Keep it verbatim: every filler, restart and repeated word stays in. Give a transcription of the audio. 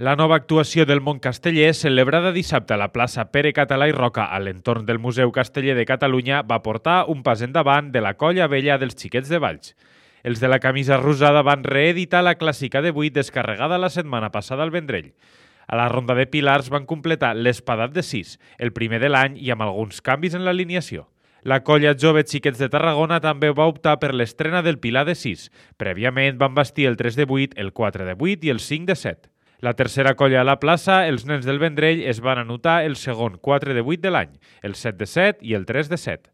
La nova actuació del món casteller, celebrada dissabte a la plaça Pere Català i Roca a l'entorn del Museu Casteller de Catalunya, va portar un pas endavant de la colla vella dels Xiquets de Valls. Els de la camisa rosada van reeditar la clàssica de vuit descarregada la setmana passada al Vendrell. A la ronda de pilars van completar l'Espadat de sis, el primer de l'any i amb alguns canvis en l'alineació. La colla jove Xiquets de Tarragona també va optar per l'estrena del pilar de sis. Prèviament van vestir el tres de vuit, el quatre de vuit i el cinc de set. La tercera colla a la plaça, els nens del Vendrell, es van anotar el segon quatre de vuit de l'any, el set de set i el tres de set.